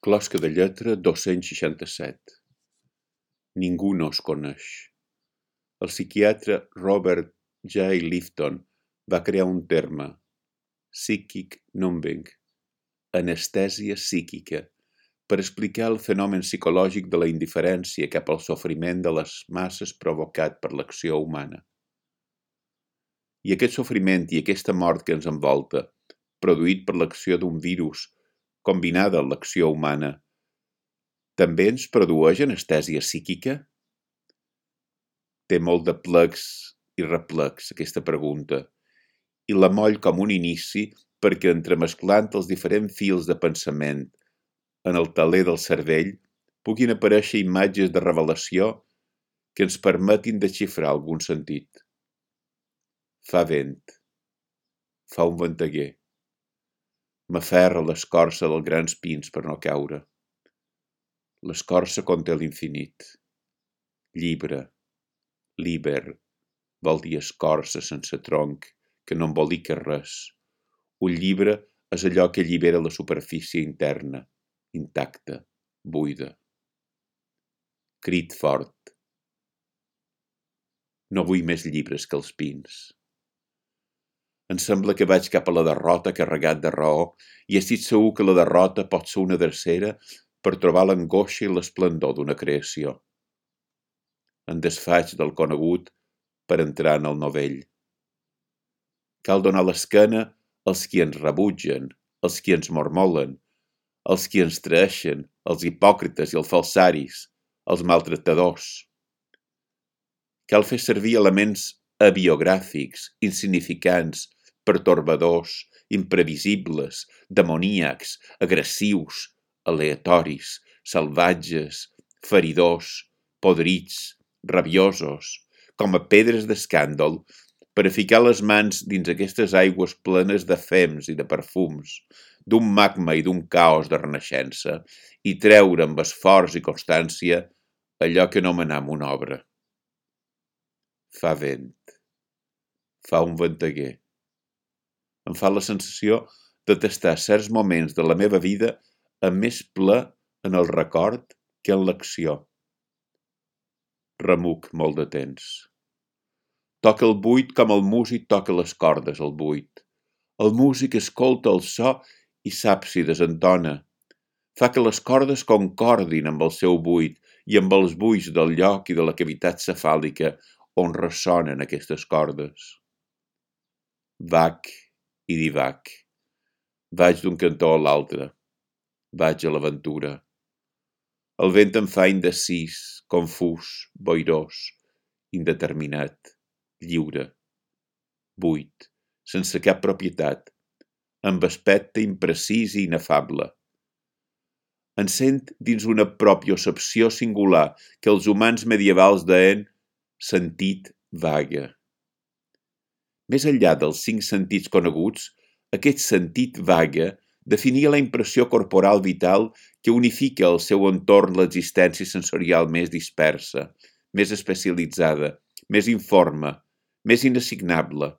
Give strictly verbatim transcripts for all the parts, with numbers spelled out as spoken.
Closca de lletra dos-cents seixanta-set. Ningú no es coneix. El psiquiatre Robert J. Lifton va crear un terme, psychic numbing, anestèsia psíquica, per explicar el fenomen psicològic de la indiferència cap al sofriment de les masses provocat per l'acció humana. I aquest sofriment i aquesta mort que ens envolta, produït per l'acció d'un virus, combinada amb l'acció humana, també ens produeix anestèsia psíquica? Té molt de plecs i replecs, aquesta pregunta, i la moll com un inici perquè entremesclant els diferents fils de pensament en el teler del cervell puguin aparèixer imatges de revelació que ens permetin desxifrar algun sentit. Fa vent. Fa un venteguer. M'aferra l'escorça dels grans pins per no caure. L'escorça conté l'infinit. Llibre. Liber. Vol dir escorça sense tronc, que no embolica res. Un llibre és allò que allibera la superfície interna, intacta, buida. Crit fort. No vull més llibres que els pins. Em sembla que vaig cap a la derrota carregat de raó i estic segur que la derrota pot ser una drecera per trobar l'angoixa i l'esplendor d'una creació. En desfaig del conegut per entrar en el novell. Cal donar l'esquena als qui ens rebutgen, als qui ens mormolen, als qui ens traeixen, als hipòcrites i els falsaris, als maltractadors. Cal fer servir elements abiogràfics, insignificants, pertorbadors, imprevisibles, demoníacs, agressius, aleatoris, salvatges, feridors, podrits, rabiosos, com a pedres d'escàndol, per a ficar les mans dins aquestes aigües plenes de fems i de perfums, d'un magma i d'un caos de renaixença, i treure amb esforç i constància allò que anomenem una obra. Fa vent. Fa un venteguer. Em fa la sensació de tastar certs moments de la meva vida amb més ple en el record que en l'acció. Remuc molt de temps. Toca el buit com el músic toca les cordes al buit. El músic escolta el so i sap si desentona. Fa que les cordes concordin amb el seu buit i amb els buits del lloc i de la cavitat cefàlica on ressonen aquestes cordes. Vaig i divac. Vaig d'un cantó a l'altre. Vaig a l'aventura. El vent em fa indecís, confús, boirós, indeterminat, lliure, buit, sense cap propietat, amb aspecte imprecís i inefable. Em sent dins una propiocepció singular que els humans medievals deien sentit vague. Més enllà dels cinc sentits coneguts, aquest sentit vague definia la impressió corporal vital que unifica al seu entorn l'existència sensorial més dispersa, més especialitzada, més informe, més inassignable,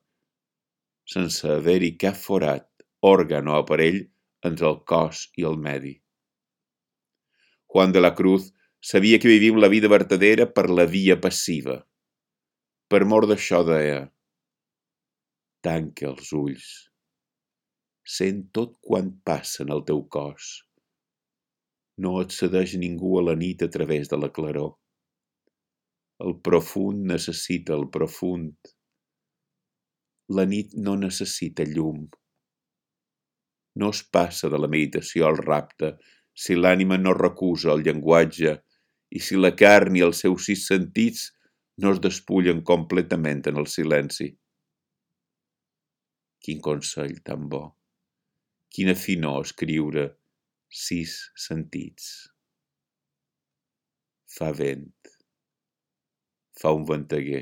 sense haver-hi cap forat, òrgan o aparell entre el cos i el medi. Juan de la Cruz sabia que vivim la vida vertadera per la via passiva. Per mor d'això deia: tanca els ulls. Sent tot quant passa en el teu cos. No et cedeix ningú a la nit a través de la claror. El profund necessita el profund. La nit no necessita llum. No es passa de la meditació al rapte si l'ànima no recusa el llenguatge i si la carn i els seus sis sentits no es despullen completament en el silenci. Quin consell tan bo! Quina finor escriure sis sentits. Fa vent. Fa un venteguer.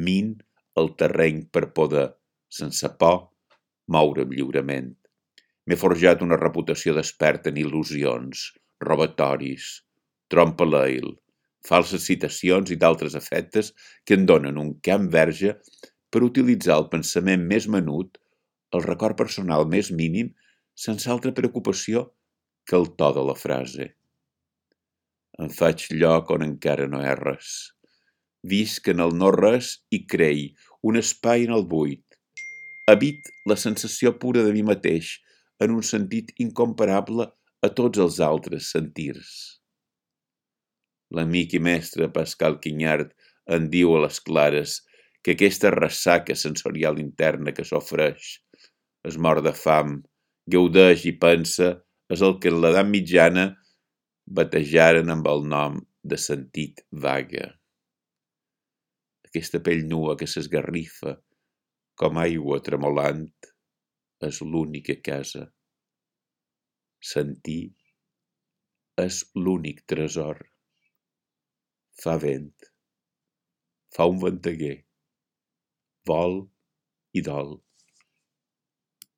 Min el terreny per poder, sense por, moure'm lliurement. M'he forjat una reputació d'expert en il·lusions, robatoris, trompaleil, falses citacions i d'altres efectes que em donen un camp verge per utilitzar el pensament més menut, el record personal més mínim, sense altra preocupació que el to de la frase. Em faig lloc on encara no hi ha res. Visc en el no-res i crei un espai en el buit. Habit la sensació pura de mi mateix, en un sentit incomparable a tots els altres sentirs. L'amic i mestre Pascal Quignard en diu a les clares que aquesta ressaca sensorial interna que s'ofreix, es mor de fam, gaudeix i pensa, és el que en l'edat mitjana batejaren amb el nom de sentit vaga. Aquesta pell nua que s'esgarrifa, com aigua tremolant, és l'única casa. Sentir és l'únic tresor. Fa vent, fa un venteguer, vol i dol.